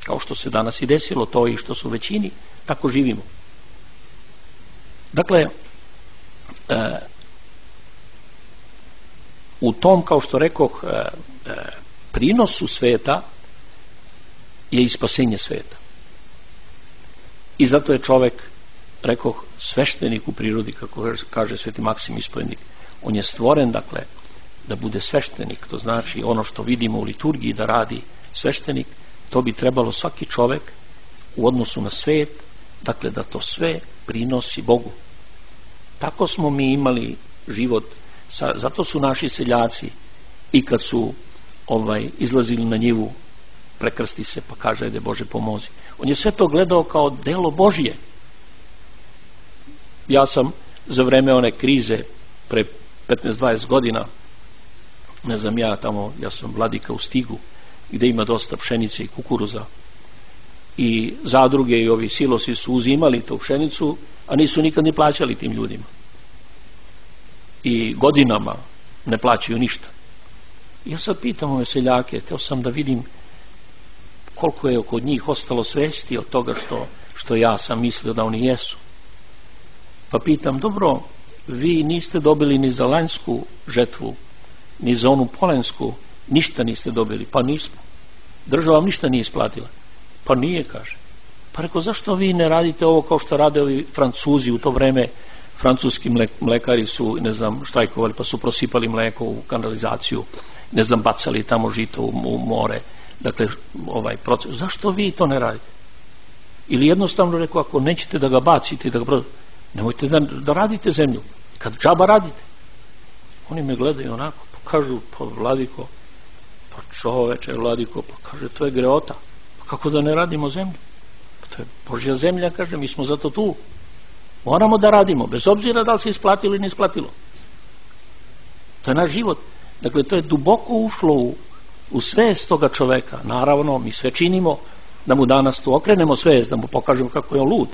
Kao što se danas i desilo, to i što su u većini, tako živimo. Dakle, e, u tom, kao što rekoh, e, e, prinosu sveta je i spasenje sveta. I zato je čovek, rekoh, sveštenik u prirodi, kako kaže sveti Maksim Ispovjednik. On je stvoren, dakle, da bude sveštenik. To znači ono što vidimo u liturgiji da radi sveštenik, to bi trebalo svaki čovek u odnosu na svet, dakle, da to sve prinosi Bogu. Tako smo mi imali život. Sa, zato su naši seljaci i kad su ovaj, izlazili na njivu, prekrsti se pa kaže, ajde Bože pomozi. On je sve to gledao kao delo Božije. Ja sam za vreme one krize pre petnaest dvadeset godina, ne znam ja tamo, ja sam vladika u Stigu gde ima dosta pšenice i kukuruza, i zadruge i ovi silosi su uzimali tu pšenicu, a nisu nikad ni plaćali tim ljudima. I godinama ne plaćaju ništa. Ja sad pitam ove seljake, teo sam da vidim koliko je kod njih ostalo svesti od toga što, što ja sam mislio da oni jesu. Pa pitam, dobro, vi niste dobili ni za lanjsku žetvu, ni za onu polensku, ništa niste dobili. Pa nismo. Država vam ništa nije isplatila. Pa nije, kaže. Pa rekao, zašto vi ne radite ovo kao što rade ovi Francuzi u to vreme? Francuski mlekari su, ne znam, štrajkovali, pa su prosipali mleko u kanalizaciju, ne znam, bacali tamo žito u more. Dakle, ovaj proces. Zašto vi to ne radite? Ili jednostavno rekao, ako nećete da ga bacite, da ga prodate, nemojte da, da radite zemlju. Kad džaba radite. Oni me gledaju onako, pa kažu, pa vladiko, pa čoveče, vladiko, pa kaže, to je greota. Pa kako da ne radimo zemlju? Pa to je Božja zemlja, kaže, mi smo zato tu. Moramo da radimo, bez obzira da li se isplatilo ili ne isplatilo. To je naš život. Dakle, to je duboko ušlo u, u svest toga čoveka. Naravno, mi sve činimo da mu danas tu okrenemo svest, da mu pokažemo kako je on lud,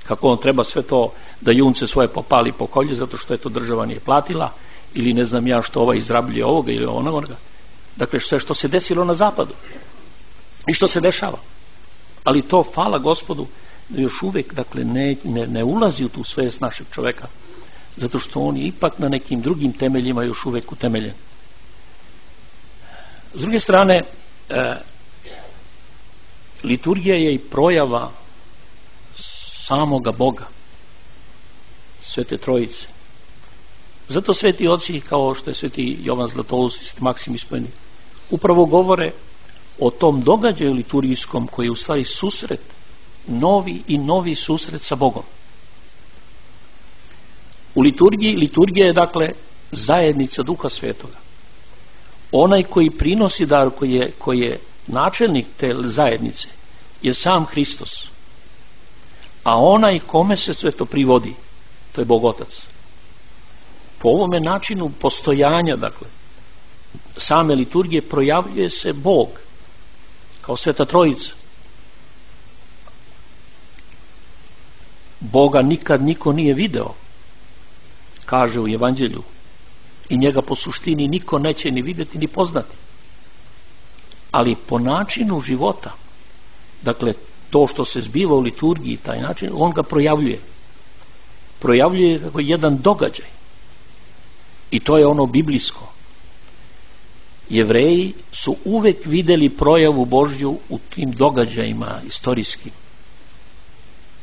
kako on treba sve to da junce svoje popali po kolje zato što je to država nije platila, ili ne znam ja što ovaj izrabljuje ovoga ili onoga. Dakle, sve što se desilo na zapadu i što se dešava. Ali to, hvala Gospodu, da još uvek dakle, ne, ne, ne ulazi u tu svest našeg čoveka, zato što on je ipak na nekim drugim temeljima još uvek utemeljen. S druge strane, e, liturgija je i projava samoga Boga, Svete Trojice. Zato sveti oci, kao što je sveti Jovan Zlatoust i sveti Maksim Ispojeni, upravo govore o tom događaju liturgijskom koji je u stvari susret, novi i novi susret sa Bogom. U liturgiji, liturgija je dakle zajednica Duha Svetoga. Onaj koji prinosi dar, koji je, koji je načelnik te zajednice, je sam Hristos. A onaj kome se sve to privodi, to je Bog Otac. Po ovome načinu postojanja, dakle, same liturgije projavljuje se Bog kao Sveta Trojica. Boga nikad niko nije video, kaže u Evanđelju, i njega po suštini niko neće ni vidjeti ni poznati. Ali po načinu života, dakle to što se zbiva u liturgiji, taj način, on ga projavljuje. Projavljuje kako jedan događaj. I to je ono biblijsko. Jevreji su uvek videli projavu Božju u tim događajima istorijskim.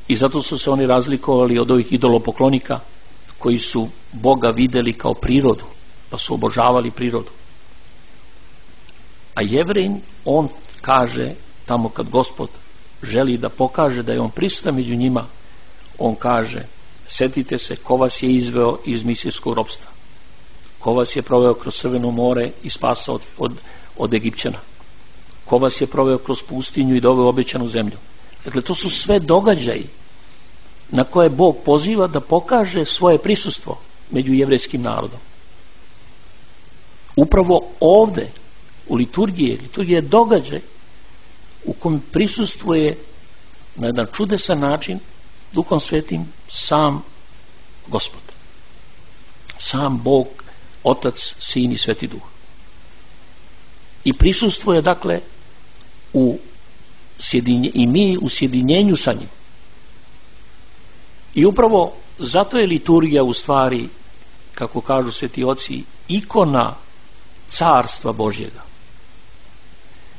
I zato su se oni razlikovali od ovih idolopoklonika koji su Boga videli kao prirodu, pa su obožavali prirodu. A Jevrejin, on kaže, tamo kad Gospod želi da pokaže da je on prisutan među njima, on kaže, setite se ko vas je izveo iz misijskog ropstva, ko vas je proveo kroz Crveno more i spasao od, od, od Egipćana, ko vas je proveo kroz pustinju i doveo obećanu zemlju. Dakle, to su sve događaji na koje Bog poziva da pokaže svoje prisustvo među jevrejskim narodom. Upravo ovde u liturgiji, liturgija je događaj u kojem prisustvuje na jedan čudesan način Duhom Svetim sam Gospod, sam Bog, Otac, Sin i Sveti Duh. I prisustvuje dakle u sjedinje, i mi u sjedinjenju sa njim. I upravo zato je liturgija u stvari, kako kažu sveti oci, ikona carstva Božjega.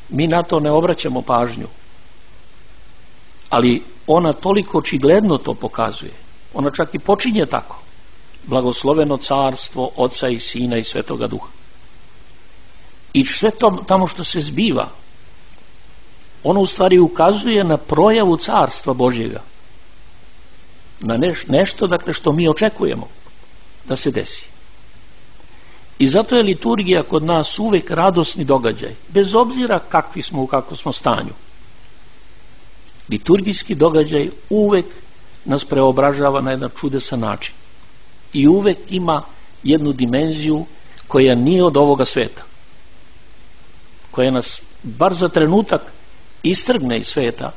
Mi na to ne obraćamo pažnju, ali ona toliko očigledno to pokazuje. Ona čak i počinje tako. Blagosloveno carstvo Oca i Sina i Svetoga Duha. I sve to tamo što se zbiva, ono u stvari ukazuje na projavu carstva Božjega. Na neš, nešto dakle što mi očekujemo da se desi. I zato je liturgija kod nas uvek radosni događaj, bez obzira kakvi smo, u kakvom smo stanju. Liturgijski događaj uvek nas preobražava na jedan čudesan način. I uvek ima jednu dimenziju koja nije od ovoga sveta, koja nas bar za trenutak istrgne iz sveta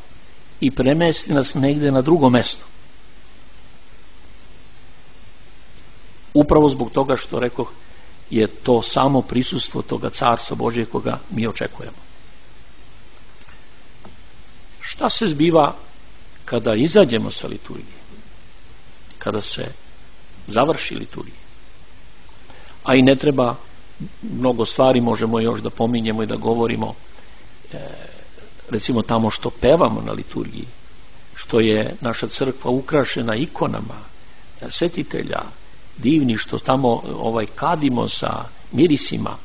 i premesti nas negde na drugo mesto. Upravo zbog toga što rekoh, je to samo prisustvo toga carstva Božje koga mi očekujemo. Šta se zbiva kada izađemo sa liturgije? Kada se završi liturgija? A i ne treba mnogo stvari, možemo još da pominjemo i da govorimo, e, recimo tamo što pevamo na liturgiji, što je naša crkva ukrašena ikonama svetitelja, divni, što tamo ovaj kadimo sa mirisima,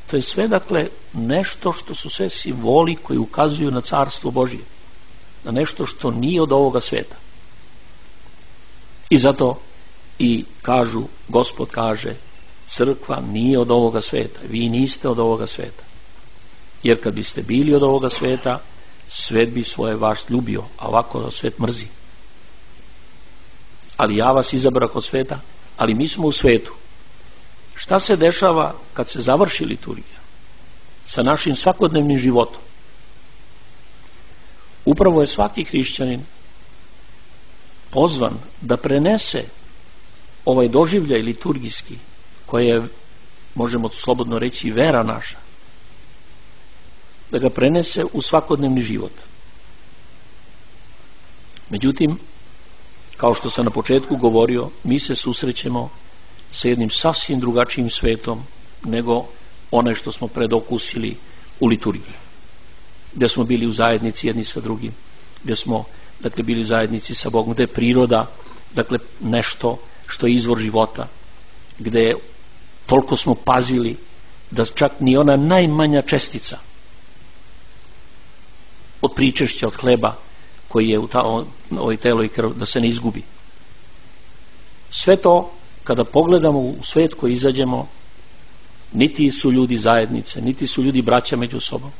to je sve dakle nešto što su sve simboli koji ukazuju na carstvo Božje, na nešto što nije od ovoga sveta. I zato i kažu, Gospod kaže, crkva nije od ovoga sveta, vi niste od ovoga sveta, jer kad biste bili od ovoga sveta, svet bi svoje vas ljubio, a ovako svet mrzi. Ali ja vas izabrao kod sveta, ali mi smo u svetu. Šta se dešava kad se završi liturgija sa našim svakodnevnim životom? Upravo je svaki hrišćanin pozvan da prenese ovaj doživljaj liturgijski, koji je, možemo slobodno reći, vera naša, da ga prenese u svakodnevni život. Međutim, kao što sam na početku govorio, mi se susrećemo sa jednim sasvim drugačijim svetom nego onaj što smo predokusili u liturgiji, gdje smo bili u zajednici jedni sa drugim, gdje smo dakle bili u zajednici sa Bogom, gdje je priroda dakle nešto što je izvor života, gdje toliko smo pazili da čak ni ona najmanja čestica od pričešća, od hleba koji je u ta, ovoj telo i krv, da se ne izgubi. Sve to kada pogledamo u svet koji izađemo, niti su ljudi zajednice, niti su ljudi braća među sobom.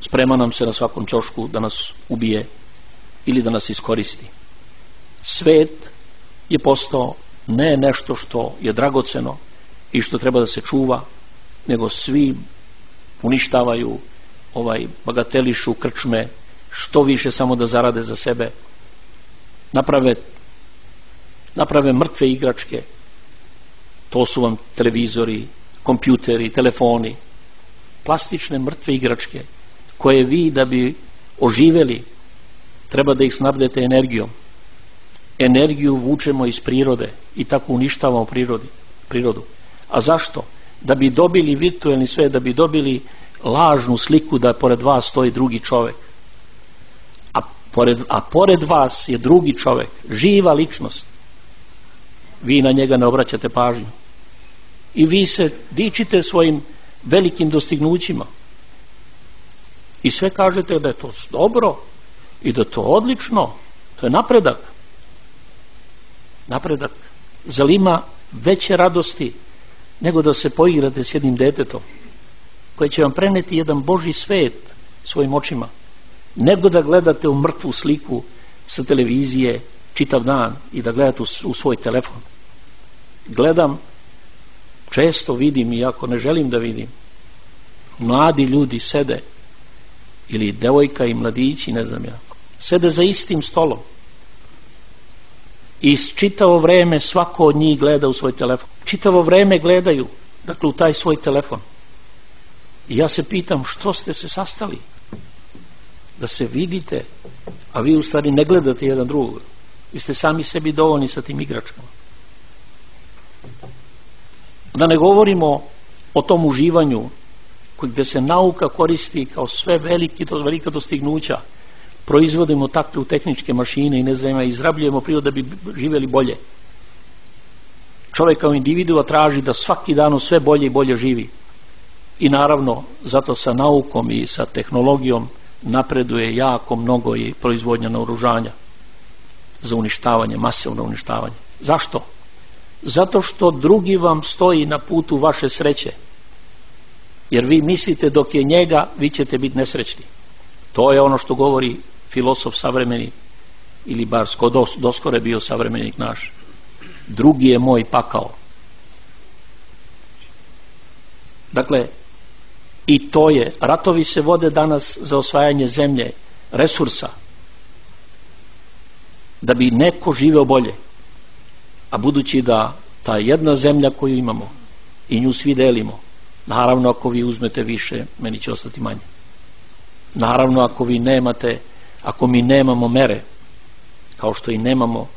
Sprema nam se na svakom ćošku da nas ubije ili da nas iskoristi. Svet je postao ne nešto što je dragoceno i što treba da se čuva, nego svi uništavaju, ovaj, bagatelišu krčme, što više samo da zarade za sebe, naprave naprave mrtve igračke. To su vam televizori, kompjuteri, telefoni, plastične mrtve igračke koje vi da bi oživeli treba da ih snabdete energijom. Energiju vučemo iz prirode i tako uništavamo prirodi, prirodu. A zašto? Da bi dobili virtuelni svet, da bi dobili lažnu sliku da pored vas stoji drugi čovjek. A pored, a pored vas je drugi čovjek, živa ličnost. Vi na njega ne obraćate pažnju. I vi se dičite svojim velikim dostignućima. I sve kažete da je to dobro i da je to odlično. To je napredak. Napredak. Zar ima veće radosti nego da se poigrate s jednim detetom koje će vam preneti jedan Božji svet svojim očima, nego da gledate u mrtvu sliku sa televizije čitav dan i da gledate u svoj telefon. Gledam, često vidim, iako ne želim da vidim, mladi ljudi sede, ili devojka i mladići, ne znam ja, sede za istim stolom i čitavo vreme svako od njih gleda u svoj telefon. Čitavo vreme gledaju, dakle, u taj svoj telefon. I ja se pitam, što ste se sastali? Da se vidite, a vi u stvari ne gledate jedan drugog. Vi ste sami sebi dovoljni sa tim igračkama. Da ne govorimo o tom uživanju gdje se nauka koristi kao sve veliki, to velika dostignuća. Proizvodimo takve tehničke mašine i ne znam, izrabljujemo prirodu da bi živjeli bolje. Čovjek kao individua traži da svaki dan sve bolje i bolje živi. I naravno, zato sa naukom i sa tehnologijom napreduje jako mnogo i proizvodnja naoružanja za uništavanje, masovno uništavanje. Zašto? Zato što drugi vam stoji na putu vaše sreće. Jer vi mislite dok je njega, vi ćete biti nesrećni. To je ono što govori filosof savremeni, ili bar doskore bio savremenik naš. Drugi je moj pakao. Dakle, i to je, ratovi se vode danas za osvajanje zemlje, resursa, da bi neko živeo bolje. A budući da ta jedna zemlja koju imamo i nju svi delimo, naravno ako vi uzmete više, meni će ostati manje. Naravno ako vi nemate, ako mi nemamo mere, kao što i nemamo,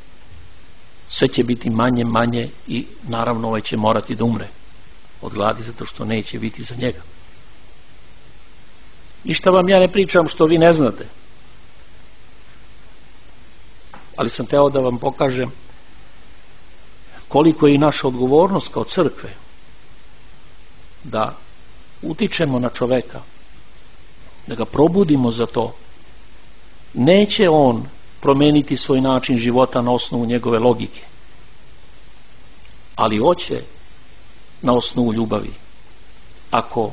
sve će biti manje, manje i naravno ovaj će morati da umre od gladi zato što neće biti za njega. Ništa vam ja ne pričam što vi ne znate, ali sam teo da vam pokažem koliko je i naša odgovornost kao crkve da utičemo na čoveka, da ga probudimo za to. Neće on promeniti svoj način života na osnovu njegove logike, ali hoće na osnovu ljubavi. Ako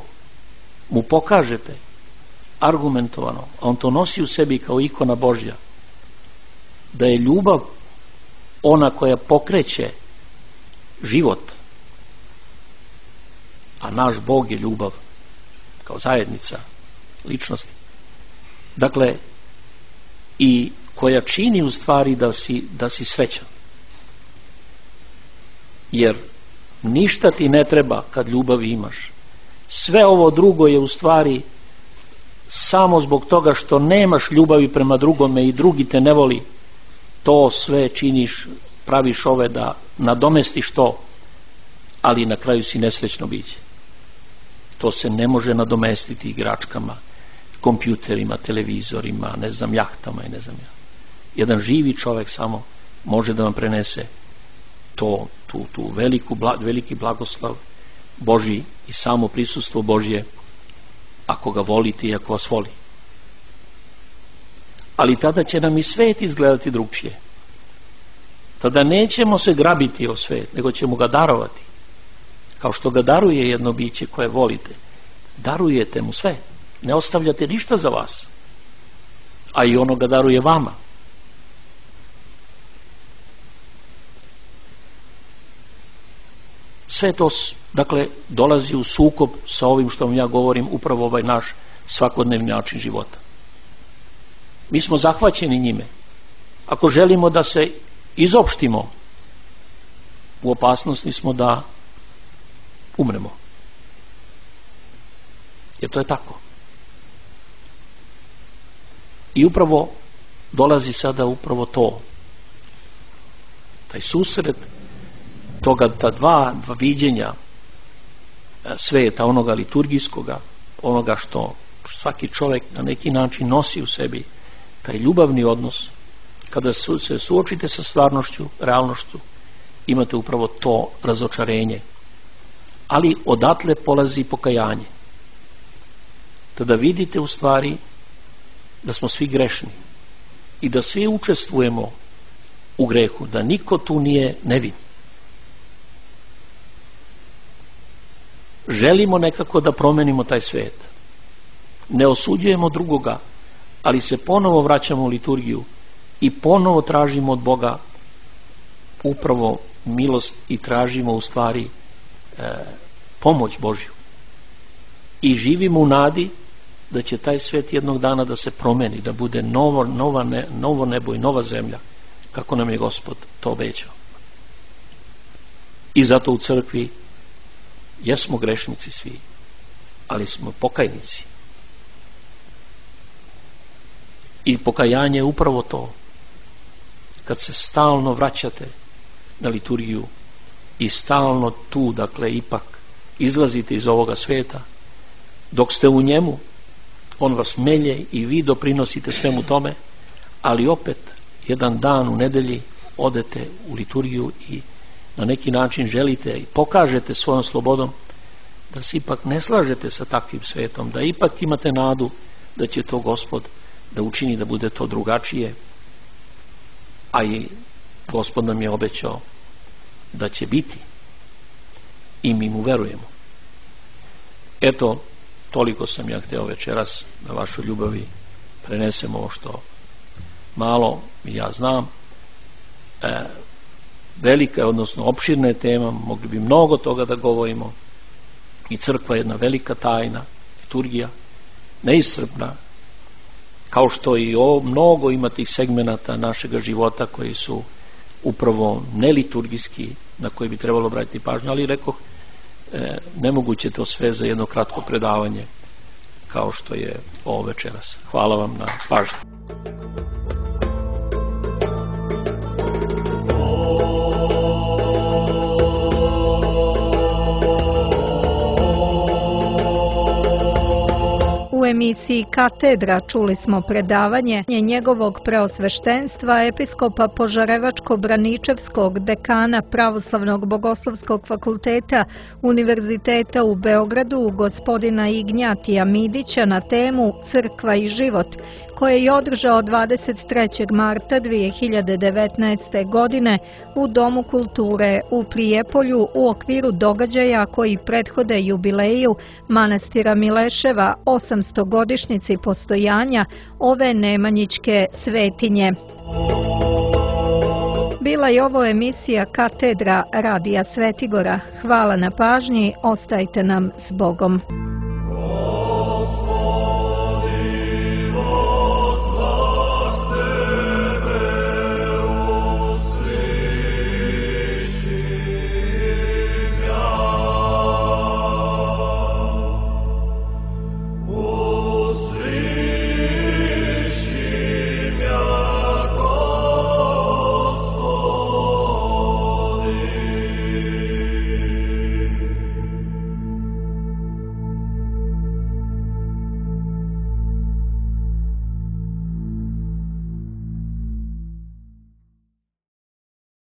mu pokažete argumentovano, a on to nosi u sebi kao ikona Božja, da je ljubav ona koja pokreće život, a naš Bog je ljubav kao zajednica ličnosti, dakle, i koja čini u stvari da si, da si srećan, jer ništa ti ne treba kad ljubav imaš. Sve ovo drugo je u stvari samo zbog toga što nemaš ljubavi prema drugome i drugi te ne voli, to sve činiš, praviš ove da nadomestiš to, ali na kraju si nesrećno biće. To se ne može nadomestiti igračkama, kompjuterima, televizorima, ne znam, jahtama i ne znam ja. Jedan živi čovjek samo može da vam prenese to, tu, tu veliku, veliki blagoslav Božji i samo prisustvo Božje, ako ga volite i ako vas voli. Ali tada će nam i svet izgledati drugčije. Tada nećemo se grabiti o svet, nego ćemo ga darovati. Kao što ga daruje jedno biće koje volite. Darujete mu sve. Ne ostavljate ništa za vas. A i ono ga daruje vama. Sve to, dakle, dolazi u sukob sa ovim što vam ja govorim, upravo ovaj naš svakodnevni način života. Mi smo zahvaćeni njime. Ako želimo da se izopštimo, u opasnosti smo da umremo. Jer to je tako. I upravo dolazi sada upravo to. Taj susret toga, ta dva, dva viđenja sveta, onoga liturgijskoga, onoga što svaki čovjek na neki način nosi u sebi, taj ljubavni odnos, kada se suočite sa stvarnošću, realnošću, imate upravo to razočarenje. Ali odatle polazi pokajanje. Tada vidite u stvari da smo svi grešni i da svi učestvujemo u grehu, da niko tu nije nevin. Želimo nekako da promenimo taj svet. Ne osuđujemo drugoga, ali se ponovo vraćamo u liturgiju i ponovo tražimo od Boga upravo milost i tražimo u stvari e, pomoć Božju. I živimo u nadi da će taj svet jednog dana da se promeni, da bude novo, nova ne, novo nebo i nova zemlja, kako nam je Gospod to obećao. I zato u crkvi jesmo grešnici svi, ali smo pokajnici. I pokajanje je upravo to. Kad se stalno vraćate na liturgiju i stalno tu, dakle, ipak izlazite iz ovoga sveta, dok ste u njemu, on vas melje i vi doprinosite svemu tome, ali opet jedan dan u nedelji odete u liturgiju i na neki način želite i pokažete svojom slobodom da se ipak ne slažete sa takvim svetom, da ipak imate nadu da će to Gospod da učini da bude to drugačije, a i Gospod nam je obećao da će biti i mi mu verujemo. Eto, toliko sam ja hteo večeras na vašoj ljubavi prenesem ovo što malo ja znam. E, velika je, odnosno opširna je tema, mogli bi mnogo toga da govorimo, i crkva je jedna velika tajna, liturgija, neiscrpna, kao što i ovo, mnogo ima tih segmenata našega života koji su upravo neliturgijski, na koji bi trebalo obratiti pažnju, ali rekoh, e, nemoguće to sve za jedno kratko predavanje kao što je ovo večeras. Hvala vam na pažnju. U emisiji Katedra čuli smo predavanje njegovog preosveštenstva episkopa Požarevačko-Braničevskog dekana Pravoslavnog bogoslovskog fakulteta Univerziteta u Beogradu, gospodina Ignjatija Midića, na temu Crkva i život, koje je održao dvadeset trećeg marta dve hiljade devetnaeste. godine u Domu kulture u Prijepolju u okviru događaja koji prethode jubileju manastira Mileševa osamstogodišnjici postojanja ove nemanjićke svetinje. Bila je ovo emisija Katedra Radija Svetigora. Hvala na pažnji, ostajte nam s Bogom.